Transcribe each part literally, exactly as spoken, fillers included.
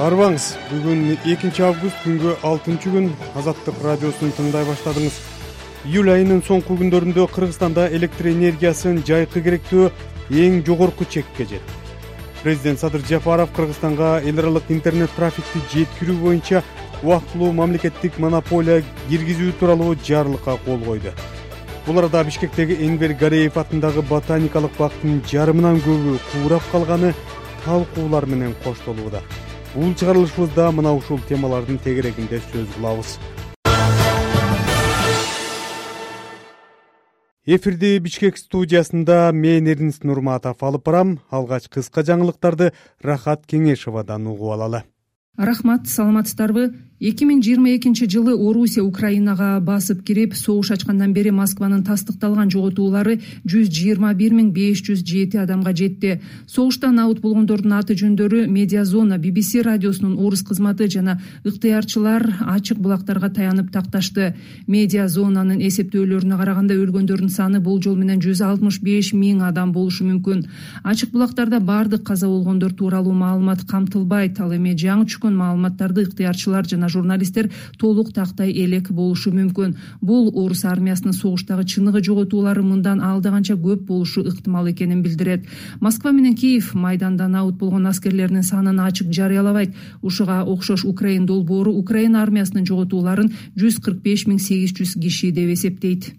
Арбаңыз, бүгүн экинчи август күнгө алтынчы күн. Азаттык радиосун тыңдай баштадыңыз. Июль айынын соңку күндөрүндө Кыргызстанда электр энергиясын жайкы керектөө эң жогорку чекке жетти. Президент Садыр Жапаров Кыргызстанга эл аралык интернет трафикти жеткирүү боюнча убактылуу мамлекеттик монополия киргизүү тууралуу жарлыкка кол койду. Бул арада Бишкектеги Энвер Гареев атындагы ботаникалык бактын жарымынан көбү куурап калганы талкуулар менен коштолууда. Бул чыгарылышыбызда мына ушул темалардын тегерегинде сөз кылабыз. Эфирди Бишкек студиясында мен Эрнис Нурматов алып барам. Алгач кыска жаңылыктарды Рахат Кеңешовадан угуп алалы. Рахмат, саламатсыздарбы? эки миң жыйырма экинчи жылы Орусия Украинага басып кирип, согуш ачкандан бери Москванын тастыкталган жоготуулары жүз жыйырма бир миң беш жүз жети адамга жетти. Согуштан абут болгондордун аты жөндөрү Медиазона, би би си радиосунун орус кызматы жана ыктыярчылар ачык булактарга таянып такташты. Медиазонанын эсептөөлөрүнө караганда өлгөндөрдүн саны болжол менен жүз алтымыш беш миң адам болушу мүмкүн. Ачык булактарда бардык каза болгондор тууралуу маалымат камтылбайт, ал эми жаңы чыккан маалыматтарды ыктыярчылар жана журналисттер толук тактай элек болушу мүмкүн. Бул орус армиясынын согуштагы чыныгы жоготуулары мындан алдаганча көп болушу ыктымал экенин билдирет. Москва менен Киев майдандан абут болгон аскерлеринин санын ачык жарыялабайт. Ушуга окшош Украин долбоору Украина армиясынын жоготууларын жүз кырк беш миң сегиз жүз киши деп эсептейт.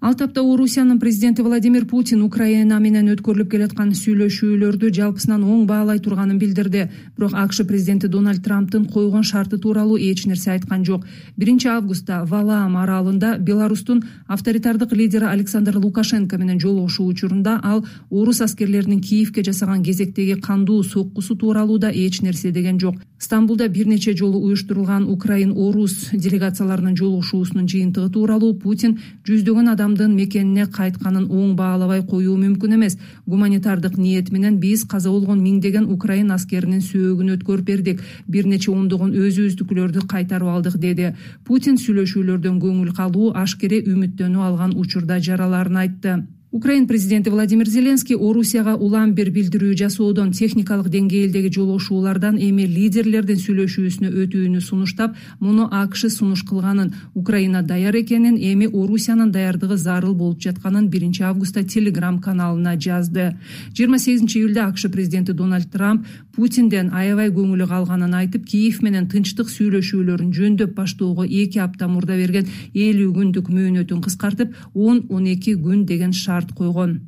Ал тапта Орусиянын президенти Владимир Путин Украина менен өткөрүлүп келаткан сүйлөшүүлөрдү жалпысынан оң баалай турганын билдирди. Бирок АКШ президенти Дональд Трамптын койгон шарты тууралуу эч нерсе айткан жок. биринчи августта Валаам аралында Беларустун авторитардык лидери Александр Лукашенко менен жолугушуу учурунда ал орус аскерлеринин Киевке жасаган кезектеги кандуу соккусу тууралуу да эч нерсе деген жок. Стамбулда бир нече жолу уюштурулган Украин-орус делегацияларынын жолугушуусунун жыйынтыгы тууралуу Путин жүздөгөн адам мекенине кайтканын оң баалабай коюу мүмкүн эмес. Гуманитардык ниет менен биз каза болгон миңдеген Украин аскеринин сөөгүн өткөрүп бердик. Бир нече ондогон өзүбүздүкүлөрдү кайтарып алдык, деди. Путин сүйлөшүүлөрдөн көңүл калуу, ашкере үмүттөнүү алган учурда жараларын айтты. Украин президенти Владимир Зеленский Орусияга улам бир билдирүү жасоодон, техникалык деңгээлдеги жолугушуулардан эми лидерлердин сүйлөшүүсүнө өтүүнү сунуштап, муну АКШ сунуш кылганын, Украина даяр экенин, эми Орусиянын даярдыгы зарыл болуп жатканын биринчи августта Телеграм каналына жазды. жыйырма сегизинчи июлда АКШ президенти Дональд Трамп Путинден аябай көңүлү калганын айтып, Киев менен тынчтык сүйлөшүүлөрүн жөндөп баштоого эки апта мурда берген элүү күндүк мөөнөтүн кыскартып, он он эки күн деген шарт койгон.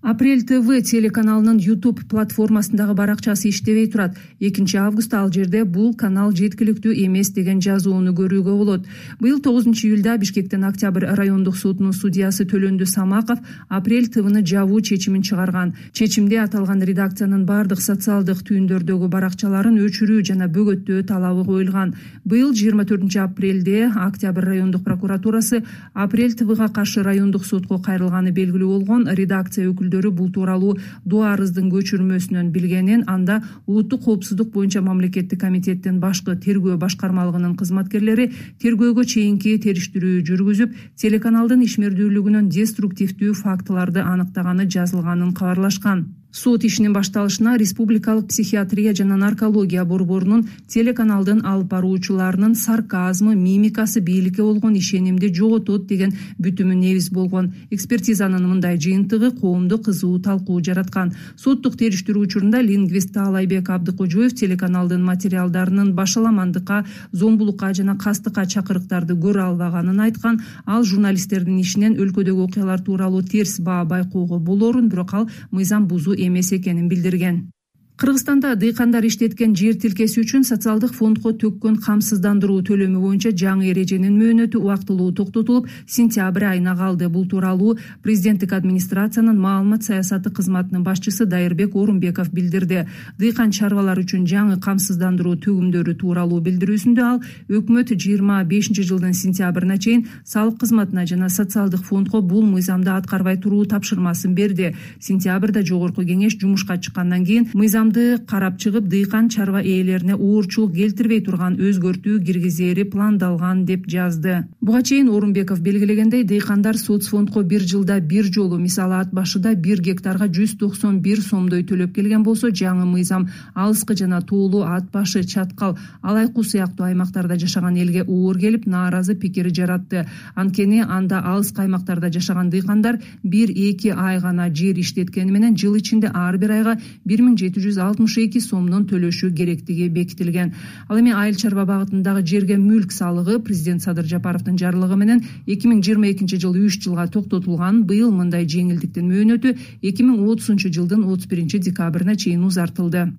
Апрель ТВ телеканалынын YouTube платформасындагы баракчасы иштебей турат. экинчи августта ал жерде бул канал жеткиликтүү эмес деген жазууну көрүүгө болот. Быйыл тогузунчу июлда Бишкектен Октябрь райондук сотунун судьясы Төлөндү Самаков Апрель ТВны жабуу чечимин чыгарган. Чечимде аталган редакциянын бардык социалдык түйүндөрдөгү баракчаларын өчүрүү жана бөгөттөө талабы коюлган. Быйыл жыйырма төртүнчү апрелде Октябрь райондук прокуратурасы Апрель ТВга каршы райондук сотко кайрылганы белгилүү болгон. Редакция өкүлдөрү бул тууралуу дуа арыздын көчүрмөсүнөн билгенин, анда улуттук коопсуздук боюнча мамлекеттик комитеттин башкы тергөө башкармалыгынын кызматкерлери тергөөгө чейинки териштирүү жүргүзүп, телеканалдын ишмердүүлүгүнөн деструктивдүү фактыларды аныктаганы жазылганын кабарлашкан. Сот ишинин башталышына Республикалык психиатрия жана наркология борборунун телеканалдын алып баруучуларынын сарказмы, мимикасы бийликке болгон ишенимди жоготот деген бүтүмү негиз болгон. Экспертизанын мындай жыйынтыгы коомдо кызуу талкуу жараткан. Соттук териштирүү учурунда лингвист Таалайбек Абдыкожоев телеканалдын материалдарынын башаламандыкка, зомбулукка жана кастыкка чакырыктарды көрө албаганын айткан. Ал журналисттердин ишинен өлкөдөгү окуялар тууралуу терс баа байкоого болорун, бирок ал мыйзам бузуу эмес экенин билдирген. Кыргызстанда дыйкандар иштеткен жер тилкеси үчүн социалдык фондго төккөн камсыздандыруу төлөмү боюнча жаңы эреженин мөөнөтү убактылуу токтотулуп, сентябрь айына калды. Бул тууралуу президенттик администрациянын маалымат саясаты кызматынын башчысы Дайырбек Орунбеков билдирди. Дыйкан чарбалар үчүн жаңы камсыздандыруу төгүмдөрү тууралуу билдирүүсүндө ал өкмөт жыйырма бешинчи жылдын сентябрына чейин салык кызматына жана социалдык фондго бул мыйзамды аткарбай туруу тапшырмасын берди. Сентябрда жогорку кеңеш жумушка чыккандан кийин мыйзам мыйзамды карап чыгып дыйкан чарба ээлерине оорчулук келтирбей турган өзгөртүү киргизери пландалган деп жазды. Буга чейин Орунбеков белгилегендей, дыйкандар соцфондко бир жылда бир жолу, мисалы ат башыда бир гектарга жүз токсон бир сомдой төлөп келген болсо, жаңы мыйзам алыскы жана тоолуу ат башы, Чаткал, Алай Куу сыяктуу аймактарда жашаган элге оор келип, нааразы пикир жаратты. Анткени анда алыскы аймактарда жашаган дыйкандар бир-эки ай гана жер иштеткени менен жыл ичинде ар бир айга бир миң жети жүз алтымыш эки сомдон төлөшү керектиги бекитилген. Ал эми айыл чарба багытындагы жерге мүлк салыгы президент Садыр Жапаровдун жарлыгы менен эки миң жыйырма экинчи жылы үч жылга токтотулган. Быйыл мындай жеңилдиктин мөөнөтү эки миң отузунчу жылдын отуз биринчи декабрына чейин узартылды.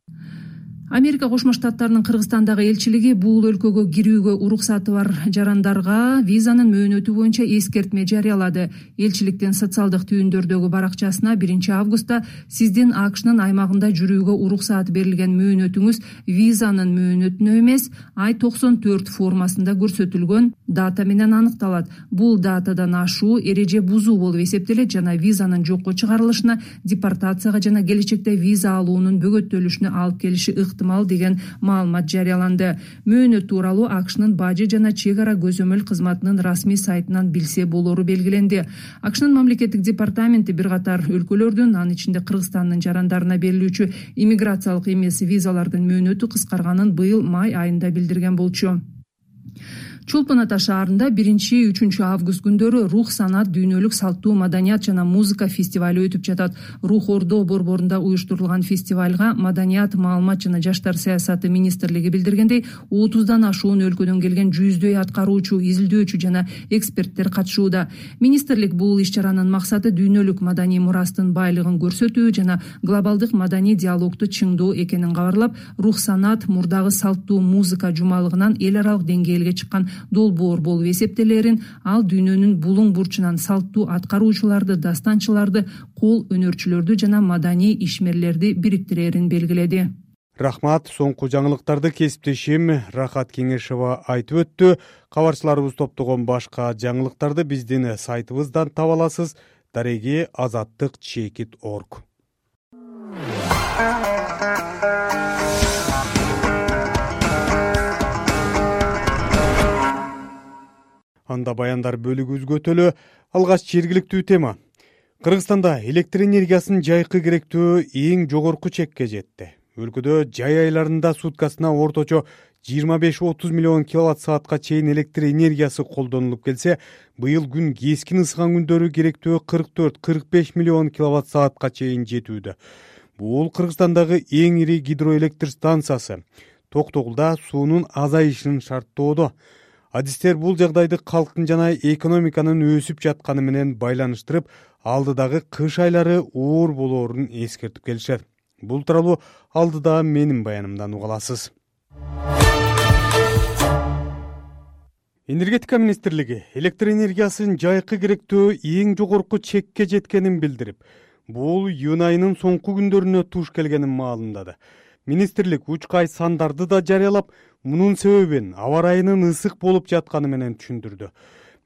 Америка Кошмо Штаттарынын Кыргызстандагы элчилиги бул өлкөгө кирүүгө уруксаты бар жарандарга визанын мөөнөтү боюнча эскертме жарыялады. Элчиликтин социалдык түйүндөрдөгү баракчасына биринчи августта сиздин АКШнын аймагында жүрүүгө уруксат берилген мөөнөтүңүз визанын мөөнөтүнө эмес, ай токсон төрт формасында көрсөтүлгөн дата менен аныкталат. Бул датадан ашуу эреже бузуу болуп эсептелет жана визанын жокко чыгарылышына, депортацияга жана келечекте виза алуунун бөгөттөлүшүнө алып келиши ыктымал деген маалымат жарыяланды. Мөөнөт тууралуу АКШнын бажы жана чек ара көзөмөл кызматынын расмий сайтынан билсе болору белгиленди. АКШнын мамлекеттик департаменти бир катар өлкөлөрдүн, анын ичинде Кыргызстандын жарандарына берилүүчү иммиграциялык эмес визалардын мөөнөтү кыскарганын быйыл май айында билдирген болчу. Чолпон Ата шаарында биринчи-үчүнчү август күндөрү Рух санат, дүйнөлүк салттуу маданият жана музыка фестивали өтүп жатат. Рух Ордо борборунда уюштурулган фестивалга маданият, маалымат жана жаштар саясаты министрлиги билдиргендей, отуздан ашуун өлкөдөн келген жүздөй аткаруучу, изилдөөчү жана эксперттер катышууда. Министрлик бул иш-чаранын максаты дүйнөлүк маданий мурастын байлыгын көрсөтүү жана глобалдык маданий диалогду чыңдоо экенин кабарлап, Рух санат мурдагы салттуу музыка жумалыгынан эл аралык деңгээлге чыккан долбоор болуп эсептелерин, ал дүйнөнүн булуң бурчунан салттуу аткаруучуларды, дастанчыларды, кол өнөрчүлөрдү жана маданий ишмерлерди бириктирерин белгиледи. Рахмат. Соңку жаңылыктарды кесиптешим Рахат Кеңешова айтып өттү. Кабарчыларыбыз топтогон башка жаңылыктарды биздин сайтыбыздан таба аласыз. дареги азаттык чекит орг. Анда баяндар бөлүгү өзгөтөлү. Алгач жергиликтүү тема. Кыргызстанда электр энергиясынын жайкы керектөө эң жогорку чекке жетти. Өлкөдө жай айларында суткасына орточо жыйырма беш отуз миллион киловатт саатка чейин электр энергиясы колдонулуп келсе, быйыл күн кескин ысыган күндөрү керектөө кырк төрт кырк беш миллион киловатт саатка чейин жетүүдө. Бул Кыргызстандагы эң ири гидроэлектр станциясы. Токтогулда суунун азайышын шарттоодо. Адистер бул жагдайды калктын жана экономиканын өсүп жатканы менен байланыштырып, алдыдагы кыш айлары оор болоорун эскертип келишет. Бул тууралуу алдыда менин баянымдан уга аласыз. Энергетика министрлиги электр энергиясынын жайкы керектөө эң жогорку чекке жеткенин билдирип, бул июнь айынын соңку күндөрүнө туш келгенин маалымдады. Министрлик учкай сандарды да жарыялап, мунун себебин аба ырайынын ысык болуп жатканы менен түшүндүрдү.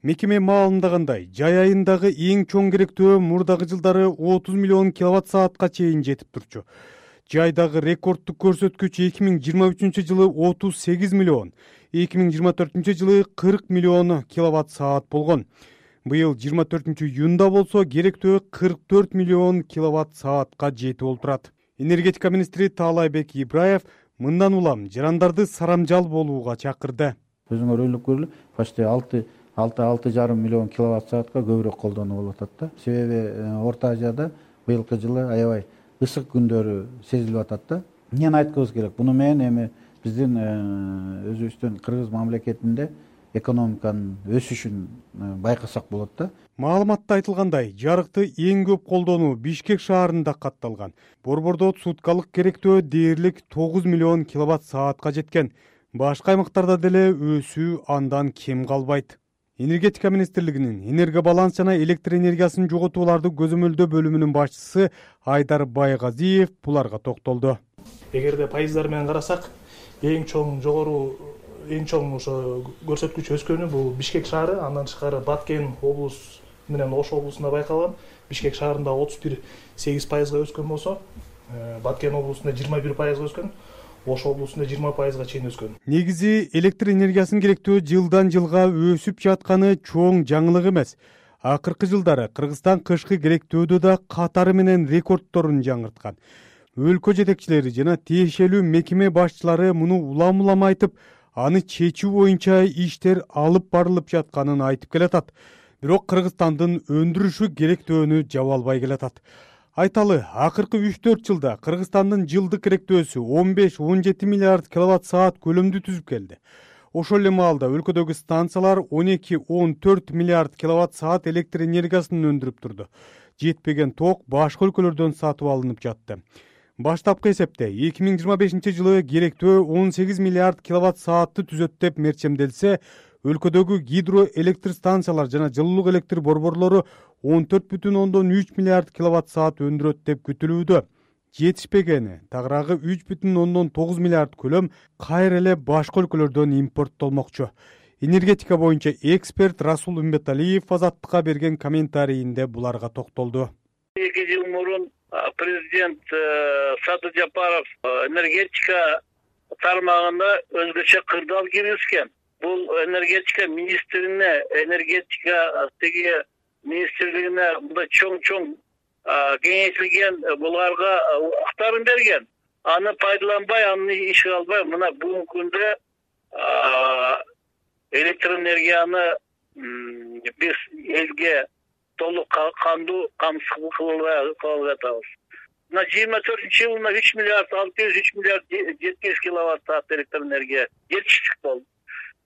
Мекеме маалымдагандай, жай айындагы эң чоң керектөө мурдагы жылдары отуз миллион киловатт саатка чейин жетип турчу. Жайдагы рекордтук көрсөткүч эки миң жыйырма үчүнчү жылы отуз сегиз миллион, эки миң жыйырма төртүнчү жылы кырк миллион киловатт саат болгон. Быйыл жыйырма төртүнчү июнда болсо керектөө кырк төрт миллион киловатт саатка жетип олтурат. Энергетика министри Таалайбек Ибраев мындан улам жарандарды сарамжал болууга чакырды. Өзүңөр ойлоп көрүлү, почти алты алты жарым миллион киловатт саатка көбүрөөк колдонуу болуп атат да. Себеби Орто Азияда быйылкы жылы аябай ысык күндөрү сезилип атат да. Эмнени айткыбыз керек? Буну менен эми биздин өзүбүздүн Кыргыз мамлекетинде экономиканын өсүшүн байкасак болот да. Маалыматта айтылгандай, жарыкты эң көп колдонуу Бишкек шаарында катталган. Борбордо суткалык керектөө дээрлик тогуз миллион киловатт саатка жеткен. Башка аймактарда деле өсүү андан кем калбайт. Энергетика министрлигинин энергобаланс жана электр энергиясын жоготууларды көзөмөлдөө бөлүмүнүн башчысы Айдар Байгазиев буларга токтолду. Эгерде пайыздар менен карасак, эң чоң жогору эң чоң ошо көрсөткүч өскөнү бул Бишкек шаары, андан тышкары Баткен облус менен Ош облусунда байкалган. Бишкек шаарында отуз бир сегиз пайызга өскөн болсо, Баткен облусунда жыйырма бир пайызга өскөн, Ош облусунда жыйырма пайызга чейин өскөн. Негизи электр энергиясынын керектөө жылдан жылга өсүп жатканы чоң жаңылык эмес. Акыркы жылдары Кыргызстан кышкы керектөөдө да катары менен рекордторун жаңырткан. Өлкө жетекчилери жана тиешелүү мекеме башчылары муну улам-улам айтып, аны чечүү боюнча иштер алып барылып жатканын айтып келатат. Бирок Кыргызстандын өндүрүшү керектөөнү жаба албай келатат. Айталы, акыркы үч төрт жылда Кыргызстандын жылдык керектөөсү он беш он жети миллиард киловатт саат көлөмдү түзүп келди. Ошол эле маалда өлкөдөгү станциялар он эки он төрт миллиард киловатт саат электр энергиясын өндүрүп турду. Жетпеген ток башка өлкөлөрдөн сатып алынып жатты. Баштапкы эсепте эки миң жыйырма бешинчи жылы керектөө он сегиз миллиард киловатт саатты түзөт деп мерчемделсе, өлкөдөгү гидроэлектр станциялар жана жылуулук электр борборлору он төрт бүтүн ондон үч миллиард киловатт саат өндүрөт деп күтүлүүдө. Жетишпегени тагыраагы үч бүтүн ондон тогуз миллиард көлөм кайра эле башка өлкөлөрдөн импорттолмокчу. Энергетика боюнча эксперт Расул Умбеталиев Азаттыкка берген комментарийинде буларга токтолду. эки жыл мурун президент Садыр Жапаров энергетика тармагына өзгөчө кырдаал киргизген. Бул энергетика министрине, энергетика теги министрлигине мындай чоң-чоң кеңейтилген буларга укуктарын берген. Аны пайдаланбай, аны ишке албай, мына бүгүнкү күндө электр энергияны биз элге толук кандуу камсыз кылып атабыз. Мына жыйырма төртүнчү жылына үч миллиард алты жүз үч миллиард жети жүз киловатт саат электр энергия жетиштик болду.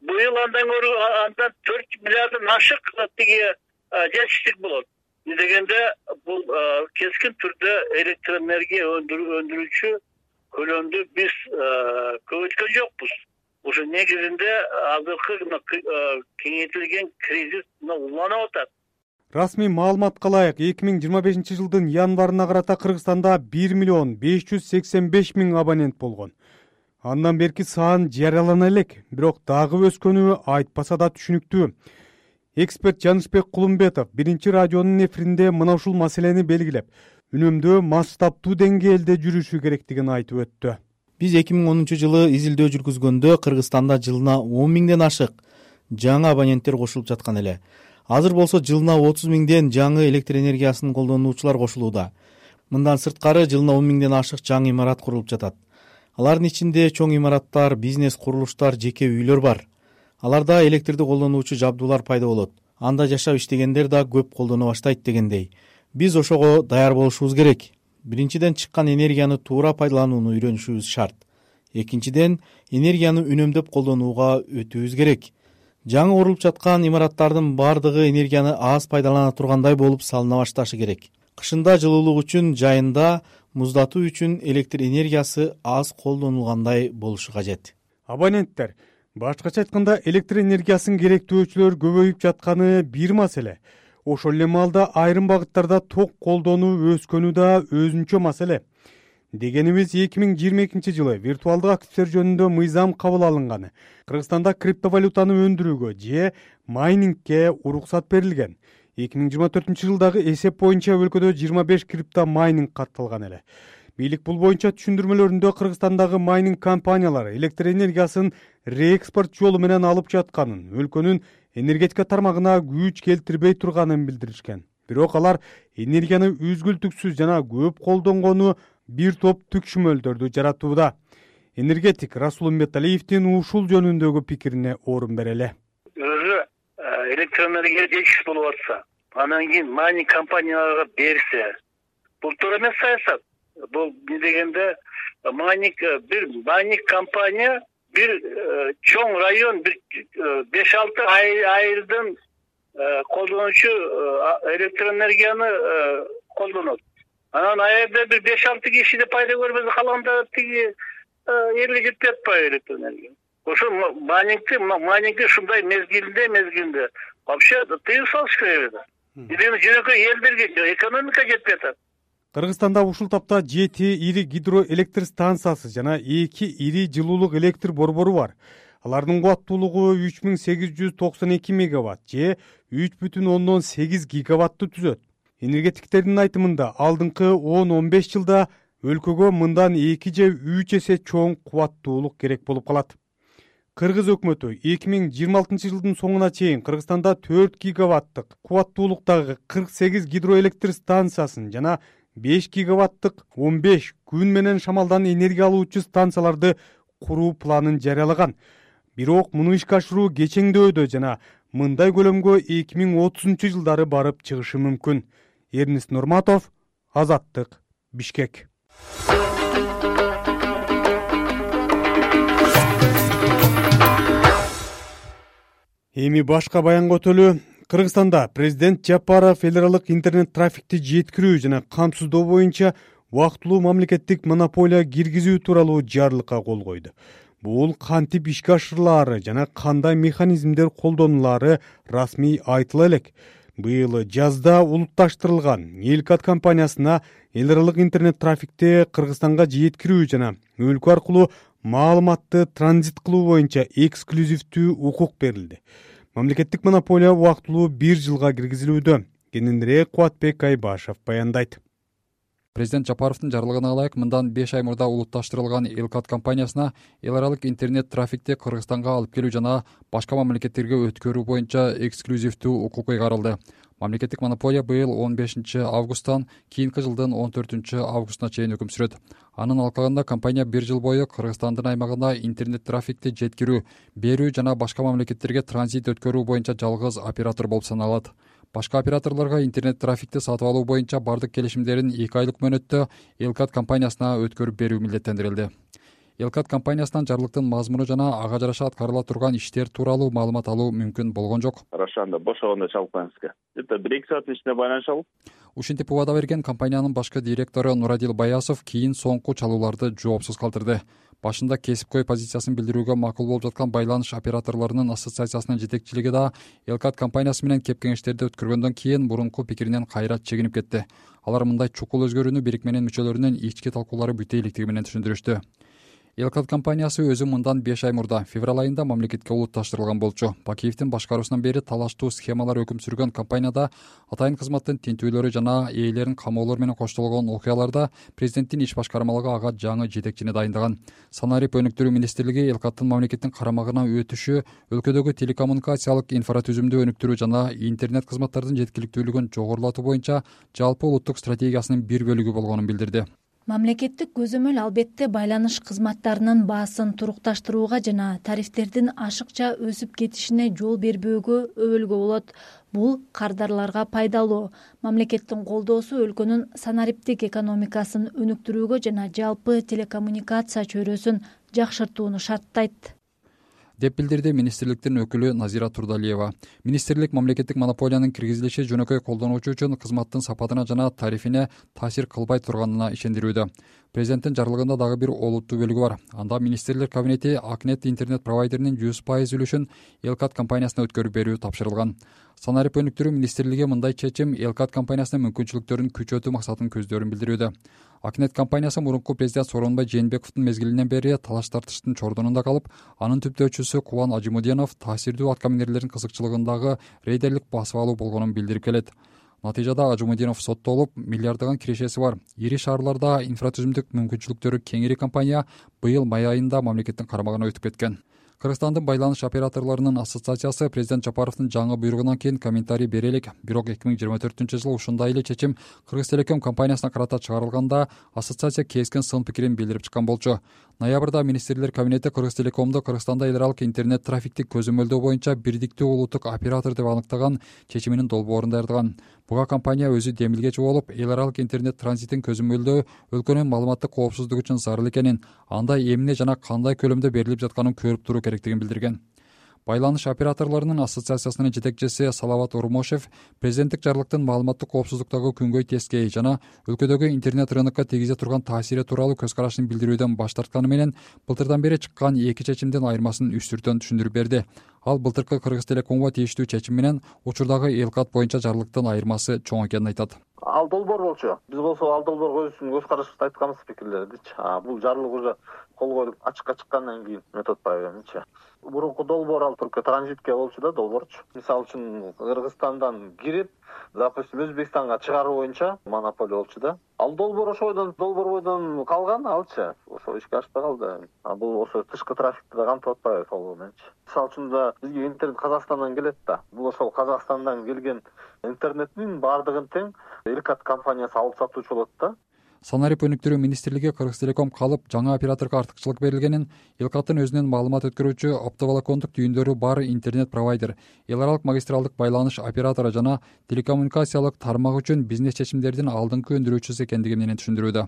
Быйыл андан көрү андан төрт миллиарддан ашык тиги жетиштик болот. Дегенде бул кескин түрдө электр энергия өндүрүүчү көлөмдү биз көбөйткөн жокпуз. Ошо негизинде азыркы кеңейтилген кризис уланып атат. Расмий маалыматка ылайык эки миң жыйырма бешинчи жылдын январына карата Кыргызстанда бир миллион беш жүз сексен беш миң абонент болгон. Андан берки сан жарыялана элек, бирок дагы өскөнү айтпаса да түшүнүктүү. Эксперт Жанышбек Кулумбетов биринчи радионун эфиринде мына ушул маселени белгилеп, үнөмдөө масштабтуу деңгээлде жүрүшү керектигин айтып өттү. Биз эки миң онунчу жылы изилдөө жүргүзгөндө Кыргызстанда жылына он миңден ашык жаңы абоненттер кошулуп жаткан эле. Азыр болсо жылына отуз миңден жаңы электр энергиясын колдонуучулар кошулууда. Мындан сырткары жылына он миңден ашык жаңы имарат курулуп жатат. Алардын ичинде чоң имараттар, бизнес курулуштар, жеке үйлөр бар. Аларда электрди колдонуучу жабдуулар пайда болот. Анда жашап иштегендер да көп колдоно баштайт дегендей. Биз ошого даяр болушубуз керек. Биринчиден чыккан энергияны туура пайдаланууну үйрөнүшүбүз шарт. Экинчиден энергияны үнөмдөп колдонууга өтүүбүз керек. Жаңы курулуп жаткан имараттардын бардыгы энергияны аз пайдалана тургандай болуп салына башташы керек. Кышында жылуулук үчүн, жайында муздатуу үчүн электр энергиясы аз колдонулгандай болушу кажет. Абоненттер, башкача айтканда электр энергиясын керектөөчүлөр көбөйүп жатканы бир маселе. Ошол эле маалда айрым багыттарда ток колдонуу өскөнү да өзүнчө маселе. Дегенибиз эки миң жыйырма экинчи жылы виртуалдык активдер жөнүндө мыйзам кабыл алынганы. Кыргызстанда криптовалютаны өндүрүүгө же майнингке уруксат берилген. эки миң жыйырма төртүнчү жылдагы эсеп боюнча өлкөдө жыйырма беш крипто майнинг катталган эле. Бийлик бул боюнча түшүндүрмөлөрүндө Кыргызстандагы майнинг компаниялары электр энергиясын реэкспорт жолу менен алып жатканын, өлкөнүн энергетика тармагына күч келтирбей турганын билдиришкен. Бирок алар энергияны үзгүлтүксүз жана көп колдонгону бир топ түкшүмөлдөрдү жаратууда. Энергетик Расул Умбеталиевдин ушул жөнүндөгү пикирине орун берели. Өзү электр энергия жетишсиз болуп атса, анан кийин майнинг компанияларга берсе, бул туура эмес саясат. Бул не дегенде майнинг бир майнинг компания бир чоң район бир беш алты айылдын колдонуучу электр энергияны колдонот. Анан айылда бир беш алты киши да пайда көрбөсө калганда тиги элге жетпей атпайбы электр энергия. Ошо майнингти майнингти ушундай мезгилинде мезгилинде вообще тыюу салыш керек эле. Биринчи жөнөкөй элдерге экономика жетпей атат. Кыргызстанда ушул тапта жети ири гидроэлектр станциясы жана эки ири жылуулук электр борбору бар. Алардын кубаттуулугу үч миң сегиз жүз токсон эки мегаватт же үч бүтүн ондон сегиз гигаваттты түзөт. Энергетиктердин айтымында алдыңкы он он беш жылда өлкөгө мындан эки же үч эсе чоң кубаттуулук керек болуп калат. Кыргыз өкмөтү эки миң жыйырма алтынчы жылдын соңуна чейин Кыргызстанда төрт гигаваттык кубаттуулуктагы кырк сегиз гидроэлектр станциясын жана беш гигаваттык он беш күн менен шамалдан энергия алуучу станцияларды куруу планын жарыялаган. Бирок муну ишке ашыруу кечеңдөөдө жана мындай көлөмгө эки миң отузунчу жылдары барып чыгышы мүмкүн. Эрнест Нурматов, Азаттык, Бишкек. Эми башка баянга өтөлү. Кыргызстанда президент Жапаров федералдык интернет трафикти жеткирүү жана камсыздоо боюнча убактылуу мамлекеттик монополия киргизүү тууралуу жарлыкка кол койду. Бул кантип ишке ашырылаары жана кандай механизмдер колдонулаары расмий айтыла элек. Быйыл жазда улутташтырылган Элкат компаниясына эл аралык интернет трафикти Кыргызстанга жеткирүү жана өлкө аркылуу маалыматты транзит кылуу боюнча эксклюзивдүү укук берилди. Мамлекеттик монополия убактылуу бир жылга киргизилүүдө. Кененирээк Кубатбек Айбашев баяндайт. Президент Жапаровдун жарлыгына ылайык мындан беш ай мурда улутташтырылган Элкат компаниясына эл аралык интернет трафикти Кыргызстанга алып келүү жана башка мамлекеттерге өткөрүү боюнча эксклюзивдүү укук ыйгарылды. Мамлекеттик монополия быйыл он бешинчи августтан кийинки жылдын он төртүнчү августуна чейин өкүм сүрөт. Анын алкагында компания бир жыл бою Кыргызстандын аймагына интернет трафикти жеткирүү, берүү жана башка мамлекеттерге транзит өткөрүү боюнча жалгыз оператор болуп саналат. Башка операторлорго интернет трафикти сатып алуу боюнча бардык келишимдерин эки айлык мөөнөттө Элкат компаниясына өткөрүп берүү милдеттендирилди. Элкат компаниясынан жарлыктын мазмуну жана ага жараша аткарыла турган иштер тууралуу маалымат алуу мүмкүн болгон жок. Ошондо бошогондо чалып коюңузга. Где-то бир эки сааттын ичинде байланыша алып. Ушинтип убада берген компаниянын башкы директору Нурадил Баясов кийин соңку чалууларды жоопсуз калтырды. Башында кесипкөй позициясын билдирүүгө макул болуп жаткан байланыш операторлорунун ассоциациясынын жетекчилиги да Элкат компаниясы менен кеп кеңештерди өткөргөндөн кийин мурунку пикиринен кайра чегинип кетти. Алар мындай чукул өзгөрүүнү бирикменин мүчөлөрүнүн ички талкуулары бүтө электиги менен түшүндүрүштү. Элкат компаниясы өзү мындан беш ай мурда февраль айында мамлекетке улутташтырылган болчу. Бакиевдин башкаруусунан бери талаштуу схемалар өкүм сүргөн компанияда атайын кызматтын тинтүүлөрү жана ээлерин камоолор менен коштолгон окуяларда президенттин иш башкармалыгы ага жаңы жетекчини дайындаган. Санарип өнүктүрүү министрлиги Элкаттын мамлекеттин карамагына өтүшү өлкөдөгү телекоммуникациялык инфратүзүмдү өнүктүрүү жана интернет кызматтардын жеткиликтүүлүгүн жогорулатуу боюнча жалпы улуттук стратегиясынын бир бөлүгү болгонун билдирди. Мамлекеттик көзөмөл албетте байланыш кызматтарынын баасын турукташтырууга жана тарифтердин ашыкча өсүп кетишине жол бербөөгө өбөлгө болот. Бул кардарларга пайдалуу. Мамлекеттин колдоосу өлкөнүн санариптик экономикасын өнүктүрүүгө жана жалпы телекоммуникация чөйрөсүн жакшыртууну шарттайт, деп билдирди министрликтин өкүлү Назира Турдалиева. Министрлик мамлекеттик монополиянын киргизилиши жөнөкөй колдонуучу үчүн кызматтын сапатына жана тарифине таасир кылбай турганына ишендирүүдө. Президенттин жарлыгында дагы бир олуттуу бөлүгү бар. Анда министрлер кабинети Акнет интернет провайдеринин жүз пайыз үлүшүн Элкат компаниясына өткөрүп берүү тапшырылган. Санарип өнүктүрүү министрлиги мындай чечим Элкат компаниясынын мүмкүнчүлүктөрүн күчөтүү максатын көздөрүн билдирүүдө. Акнет компаниясы мурунку президент Сооронбай Жээнбековдун мезгилинен бери талаш тартыштын чордонунда калып, анын түптөөчүсү Кубан Ажимуденов таасирдүү аткаминерлердин кызыкчылыгындагы рейдерлик басып алуу болгонун билдирип келет. Натыйжада Ажимуденов соттолуп, миллиарддаган кирешеси бар ири шаарларда инфратүзүмдүк мүмкүнчүлүктөрү кеңири компания быйыл май айында мамлекеттин карамагына өтүп кеткен. Кыргызстандын байланыш операторлорунун ассоциациясы президент Жапаровдун жаңы буйругунан кийин комментарий бере элек. Бирок эки миң жыйырма төртүнчү жылы ушундай эле чечим Кыргыз Телеком компаниясына карата чыгарылганда ассоциация кескен сын пикирин билдирип чыккан болчу. Ноябрда министрлер кабинети Кыргыз Телекомду Кыргызстанда эл аралык интернет трафикти көзөмөлдөө боюнча бирдиктүү улуттук оператор деп аныктаган чечиминин долбоорун даярдаган. Буга компания өзү демилгечи болуп, эл аралык интернет транзитин көзөмөлдөө өлкөнүн маалыматтык коопсуздугу үчүн зарыл экенин, анда эмне жана кандай көлөмдө берилип жатканын көрүп туруу керектигин билдирген. Байланыш операторлорунун ассоциациясынын жетекчиси Салават Урмошев президенттик жарлыктын маалыматтык коопсуздуктагы күнгөй тескей жана өлкөдөгү интернет рынокко тийгизе турган таасири тууралуу көз карашын билдирүүдөн баш тартканы менен былтырдан бери чыккан эки чечимдин айырмасын үстүртөн түшүндүрүп берди. Ал былтыркы Кыргыз Телекомго тийиштүү чечим менен учурдагы Элкат боюнча жарлыктын айырмасы чоң экенин айтат. Ал долбоор болчу. Биз болсо ал долбоорго өзүбүздүн көз карашыбызды айтканбыз, пикирлердичи. Бул жарлык уже кол коюлуп ачыкка чыккандан кийин метод байбеничи. Мурунку долбоор ал только транзитке болчу да, долбоорчу. Мисалы үчүн Кыргызстандан кирип, допустим, Өзбекстанга чыгаруу боюнча монополия болчу да. ал долбоор ошо бойдон долбоор бойдон калган, алчы ошо ишке ашпай калды. А бул ошо тышкы трафикти да камтып атпайбы сол мененчи. Мисалы үчүн да бизге интернет Казакстандан келет да. Бул ошол Казакстандан келген интернеттин баардыгын тең Элкат компаниясы алып сатуучу болот да. Санарип өнүктүрүү министрлиги Кыргызтелеком калып жаңы операторго артыкчылык берилгенин, Элкаттын өзүнүн маалымат өткөрүүчү оптоволокондук түйүндөрү бар интернет провайдер, эл аралык магистралдык байланыш оператору жана телекоммуникациялык тармак үчүн бизнес чечимдердин алдыңкы өндүрүүчүсү экендиги менен түшүндүрүүдө.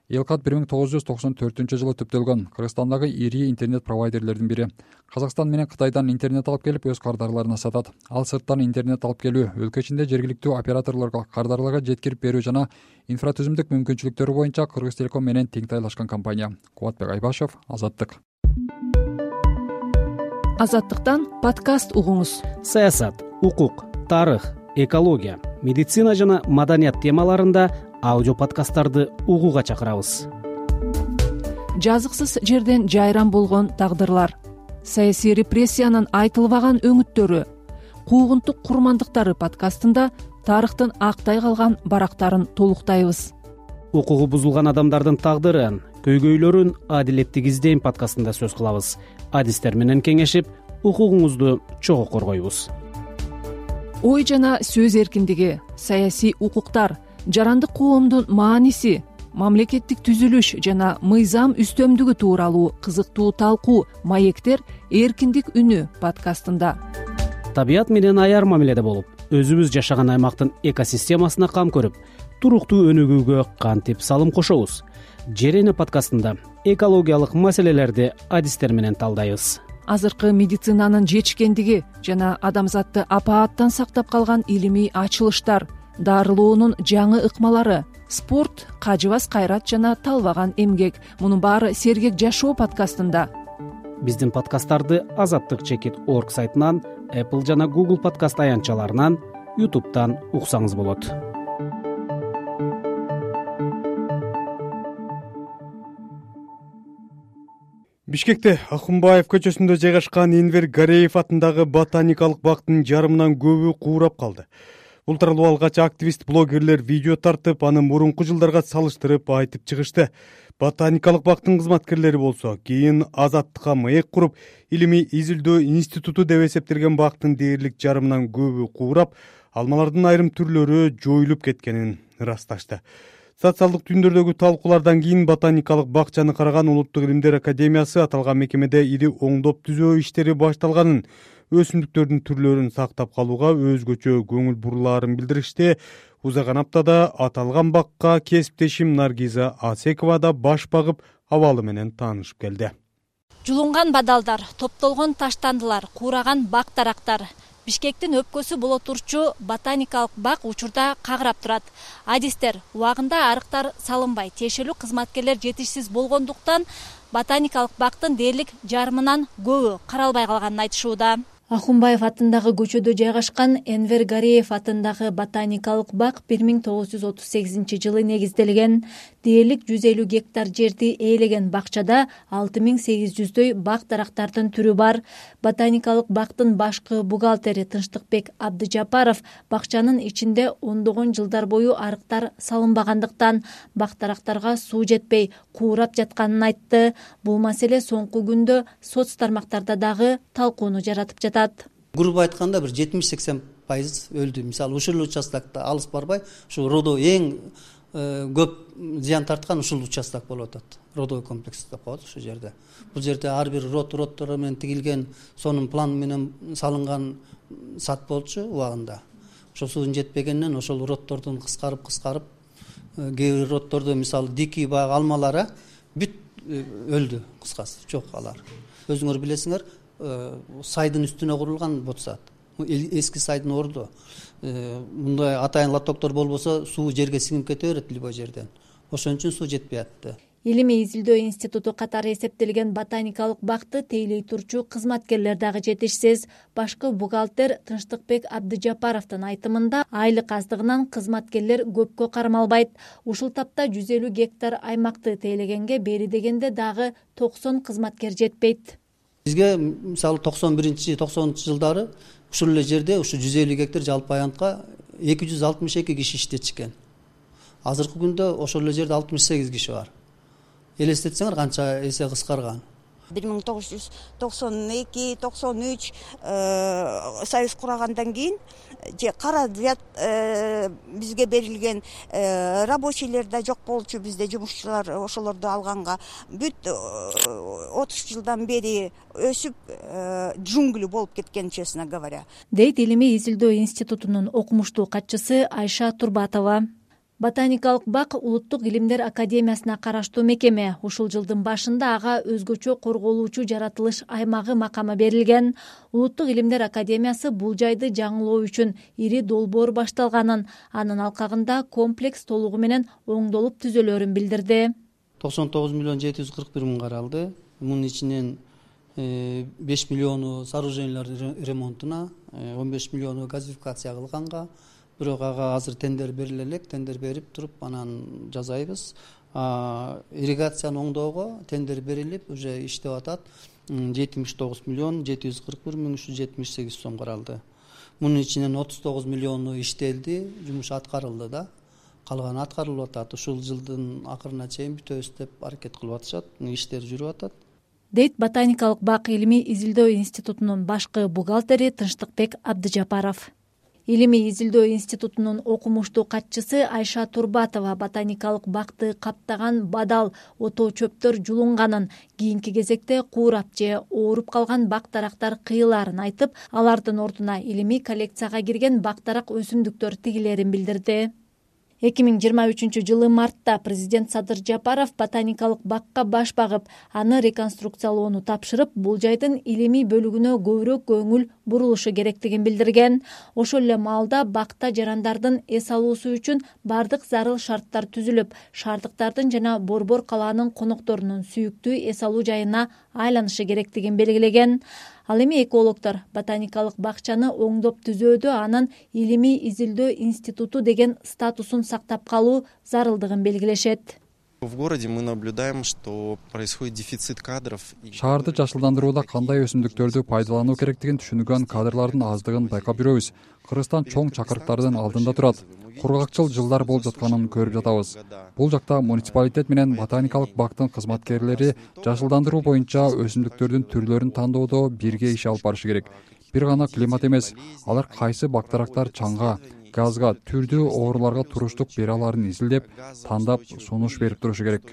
Элкат бир миң тогуз жүз токсон төртүнчү жылы түптөлгөн Кыргызстандагы ири интернет провайдерлердин бири. Казакстан менен Кытайдан интернет алып келип өз кардарларына сатат. Ал сырттан интернет алып келүү, өлкө ичинде жергиликтүү операторлорго кардарларга жеткирип берүү жана инфратүзүмдүк мүмкүнчүлүктөрү боюнча Кыргызтелеком менен тең тайлашкан компания. Кубатбек Айбашев, Азаттык. Азаттыктан подкаст угуңуз. Саясат, укук, тарых, экология, медицина жана маданият темаларында аудио подкасттарды угууга чакырабыз. Жазыксыз жерден жайран болгон тагдырлар, саясий репрессиянын айтылбаган өңүттөрү, куугунтук курмандыктары подкастында тарыхтын актай калган барактарын толуктайбыз. Укугу бузулган адамдардын тагдырын, көйгөйлөрүн адилеттик издейм подкастында сөз кылабыз. Адистер менен кеңешип, укугуңузду чогуу коргойбуз. Ой жана сөз эркиндиги, саясий укуктар, жарандык коомдун мааниси, мамлекеттик түзүлүш жана мыйзам үстөмдүгү тууралуу кызыктуу талкуу маектер эркиндик үнү подкастында. Табият менен аяр мамиледе болуп, өзүбүз жашаган аймактын экосистемасына кам көрүп, туруктуу өнүгүүгө кантип салым кошобуз. Жер эне подкастында экологиялык маселелерди адистер менен талдайбыз. Азыркы медицинанын жетишкендиги жана адамзатты апааттан сактап калган илимий ачылыштар, дарылоонун жаңы ыкмалары, спорт, кажыбас кайрат жана талбаган эмгек. Мунун баары сергек жашоо подкастында. Биздин подкасттарды азаттык чекит точка орг сайтынан, Apple жана Google подкаст аянтчаларынан, YouTube'дан уксаңыз болот. Бишкекте Акунбаев көчөсүндө жайгашкан Энвер Гареев атындагы ботаникалык бактын жарымынан көбү куурап калды. Бул тууралуу алгач активист блогерлер видео тартып, аны мурунку жылдарга салыштырып айтып чыгышты. Ботаникалык бактын кызматкерлери болсо кийин Азаттыкка маек куруп, илимий изилдөө институту деп эсептелген бактын дээрлик жарымынан көбү куурап, алмалардын айрым түрлөрү жоюлуп кеткенин ырасташты. Социалдык түйүндөрдөгү талкуулардан кийин ботаникалык бакчаны караган Улуттук илимдер академиясы аталган мекемеде ири оңдоп түзөө иштери башталганын, өсүмдүктөрдүн түрлөрүн сактап калууга өзгөчө көңүл бурулаарын билдиришти. Узаган аптада аталган бакка кесиптешим Наргиза Асекова да баш багып, абалы менен таанышып келди. Жулунган бадалдар, топтолгон таштандылар, куураган бак дарактар. Бишкектин өпкөсү боло турчу ботаникалык бак учурда кагырап турат. Адистер убагында арыктар салынбай, тиешелүү кызматкерлер жетишсиз болгондуктан ботаникалык бактын дээрлик жарымынан көбү каралбай калганын айтышууда. Акунбаев атындагы көчөдө жайгашкан Энвер Гареев атындагы ботаникалык бак бир миң тогуз жүз отуз сегизинчи жылы негизделген. Дээрлик жүз элүү гектар жерди ээлеген бакчада алты миң сегиз жүздөй бак дарактардын түрү бар. Ботаникалык бактын башкы бухгалтери Тынчтыкбек Абдыжапаров бакчанын ичинде ондогон жылдар бою арыктар салынбагандыктан бак дарактарга суу жетпей куурап жатканын айтты. Бул маселе соңку күндө соц тармактарда дагы талкууну жаратып жатат. Грубо айтканда бир жетимиш сексен пайыз өлдү. Мисалы ушул участокто алыс барбай, ушу родо эң көп зыян тарткан ушул участок болуп атат. Родовый комплекс деп коет ушул жерде. Бул жерде ар бир род роддор менен тигилген, сонун план менен салынган сат болчу убагында. Ошо суунун жетпегенинен ошол роддордун кыскарып кыскарып, кээ бир роддордо мисалы дикий баг алмалары бүт өлдү, кыскасы жок алар. Өзүңөр билесиңер, сайдын үстүнө курулган бот саат. Эски сайдын орду. Мындай атайын лотоктор болбосо суу жерге сиңип кете берет любой жерден. Ошон үчүн суу жетпей атты. Илимий изилдөө институту катары эсептелген ботаникалык бакты тейлей турчу кызматкерлер дагы жетишсиз. Башкы бухгалтер Тынчтыкбек Абдыжапаровдун айтымында айлык аздыгынан кызматкерлер көпкө кармалбайт. Ушул тапта жүз элүү гектар аймакты тейлегенге бери дегенде дагы токсон кызматкер жетпейт. Бизге мисалы токсон биринчи токсонунчу жылдары ушул эле жерде ушу жүз элүү гектар жалпы аянтка эки жүз алтымыш эки киши иштечкен. азыркы күндө ошол эле жерде алтымыш сегиз киши бар. Элестетсеңер канча эсе кыскарган. бир миң тогуз жүз токсон эки токсон үч союз курагандан кийин же кара взят бизге берилген рабочийлер да жок болчу, бизде жумушчулар ошолорду алганга. Бүт отуз жылдан бери өсүп джунгли болуп кеткен, честно говоря, дейт Илимий изилдөө институтунун окумуштуу катчысы Айша Турбатова. Ботаникалык бак Улуттук илимдер академиясына караштуу мекеме. Ушул жылдын башында ага өзгөчө корголуучу жаратылыш аймагы макамы берилген. Улуттук илимдер академиясы бул жайды жаңылоо үчүн ири долбоор башталганын, анын алкагында комплекс толугу менен оңдолуп түзөлөрүн билдирди. токсон тогуз миллион жети жүз кырк бир мың каралды. Мунун ичинен беш миллиону сооружениялар ремонтуна, он беш миллиону газификация кылганга, бирок ага азыр тендер бериле элек. Тендер берип туруп анан жасайбыз. Ирригацияны оңдоого тендер берилип уже иштеп атат. жетимиш тогуз миллион жети жүз кырк бир миң үч жүз жетимиш сегиз сом каралды. Мунун ичинен отуз тогуз миллиону иштелди, жумуш аткарылды да. Калганы аткарылып атат. Ушул жылдын акырына чейин бүтөбүз деп аракет кылып атышат. Иштер жүрүп атат. Дейт Ботаникалык бак Илимий изилдөө институтунун башкы бухгалтери Тынчтыкбек Абдыжапаров. Илимий изилдөө институтунун окумуштуу катчысы Айша Турбатова ботаникалык бакты каптаган бадал отоо чөптөр жулунганын, кийинки кезекте куурап же ооруп калган бак дарактар кыйылаарын айтып, алардын ордуна илимий коллекцияга кирген бак дарак өсүмдүктөр тигилерин билдирди. эки миң жыйырма үчүнчү жылы мартта президент Садыр Жапаров ботаникалык бакка баш багып, аны реконструкциялоону тапшырып, бул жайдын илимий бөлүгүнө көбүрөөк көңүл бурулушу керектигин билдирген. Ошол эле маалда бакта жарандардын эс алуусу үчүн бардык зарыл шарттар түзүлүп, шаардыктардын жана Борбор калаанын конокторунун сүйүктүү эс алуу жайына айланышы керектигин белгилеген. Ал эми экологдор ботаникалык бакчаны оңдоп түзөөдө анын илимий изилдөө институту деген статусун сактап калуу зарылдыгын белгилешет. В городе мы наблюдаем, что происходит дефицит кадров. Шаарды жашылдандырууда кандай өсүмдүктөрдү пайдалануу керектигин түшүнгөн кадрлардын аздыгын байкап жүрөбүз. Кыргызстан чоң чакырыктардын алдында турат. Кургакчыл жылдар болуп жатканын көрүп жатабыз. Бул жакта муниципалитет менен ботаникалык бактын кызматкерлери жашылдандыруу боюнча өсүмдүктөрдүн түрлөрүн тандоодо бирге иш алып барышы керек. Бир гана климат эмес, алар кайсы бактарактар чаңга, газга, түрдүү ооруларга туруштук бере аларын изилдеп, тандап, сунуш берип турушу керек.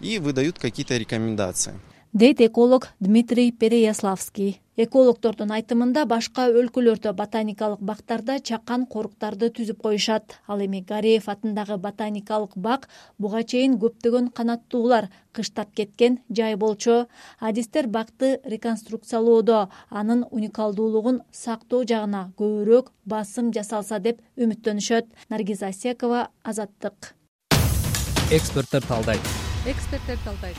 И выдают какие-то рекомендации. Дейт эколог Дмитрий Переяславский. Экологдордун айтымында башка өлкөлөрдө ботаникалык бактарда чакан коруктарды түзүп коюшат. Ал эми Гареев атындагы ботаникалык бак буга чейин көптөгөн канаттуулар кыштап кеткен жай болчу. Адистер бакты реконструкциялоодо анын уникалдуулугун сактоо жагына көбүрөөк басым жасалса деп үмүттөнүшөт. Наргиз Асекова, Азаттык. Эксперттер талдайт. Эксперттер талдайт.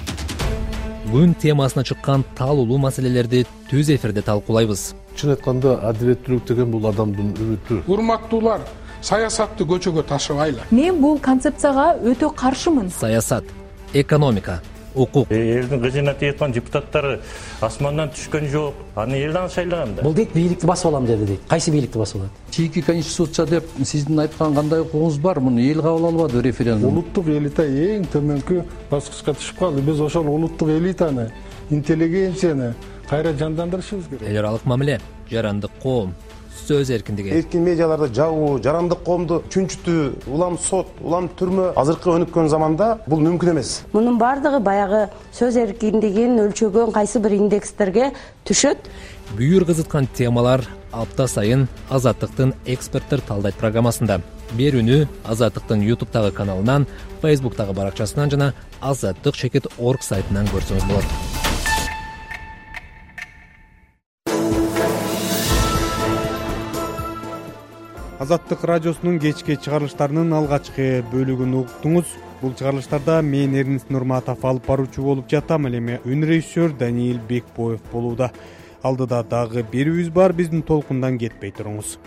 Күн темасына чыккан таалуулуу маселелерди түз эфирде талкуулайбыз. Чын айтканда адилеттүүлүк деген бул адамдын үмүтү. Урматтуулар, саясатты көчөгө ташыбайлы. Мен бул концепцияга өтө каршымын. Саясат, экономика, укук. Элдин кызына тийип депутаттары асмандан түшкөн жок. Аны элден шайлаган да. Бул дейт бийликти басып алам деди дейт. Кайсы бийликти басып алат? Чийки конституция деп сиздин айткан кандай укугуңуз бар? Муну эл кабыл албады референдум. Улуттук элита эң төмөнкү баскычка түшүп калды. Биз ошол улуттук элитаны, интеллигенцияны кайра жандандырышыбыз керек. Эл аралык мамиле, жарандык коом, сөз эркиндиги. Эркин медиаларды жабуу, жарандык коомду чүнчүтүү, улам сот, улам түрмө азыркы өнүккөн заманда бул мүмкүн эмес. Мунун бардыгы баягы сөз эркиндигин өлчөгөн кайсы бир индекстерге түшөт. Бүйүр кызыткан темалар апта сайын Азаттыктын эксперттер талдайт программасында. Берүүнү Азаттыктын ютубтагы каналынан, фейсбуктагы баракчасынан жана азаттык чекит точка орг сайтынан көрсөңүз болот. Азаттык радиосунун кечки чыгарылыштарынын алгачкы бөлүгүн уктуңуз. Бул чыгарылыштарда мен Эрнис Нурматов алып баруучу болуп жатам, эле үн режиссер Даниил Бекбоев болууда. Алдыда дагы берүүбүз бар, биздин толкундан кетпей туруңуз.